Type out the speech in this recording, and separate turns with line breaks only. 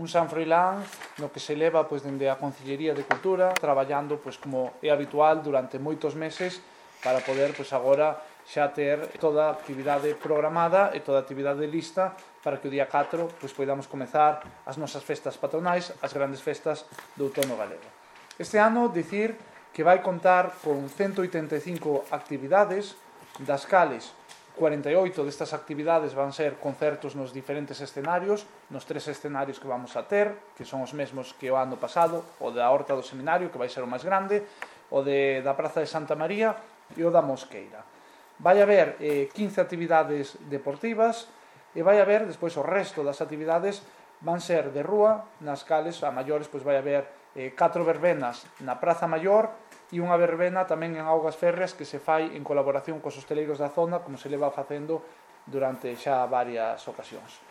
un San Froilán no que se leva dende a Concellería de Cultura traballando como é habitual durante moitos meses para poder agora xa ter toda a actividade programada e toda a actividade lista para que o día 4 podamos comezar as nosas festas patronais, as grandes festas do outono galego. Este ano, dicir que vai contar con 185 actividades, das cales 48 destas actividades van ser concertos nos diferentes escenarios, nos 3 escenarios que vamos a ter, que son os mesmos que o ano pasado, o da Horta do Seminario, que vai ser o máis grande, o da Praza de Santa María e o da Mosqueira. Vai haber 15 actividades deportivas e vai haber, despois, o resto das actividades van ser de rúa, nas cales, a maiores, vai haber 4 verbenas na Praza Maior e unha verbena tamén en Augas Férreas que se fai en colaboración cos hosteleiros da zona, como se leva facendo durante xa varias ocasións.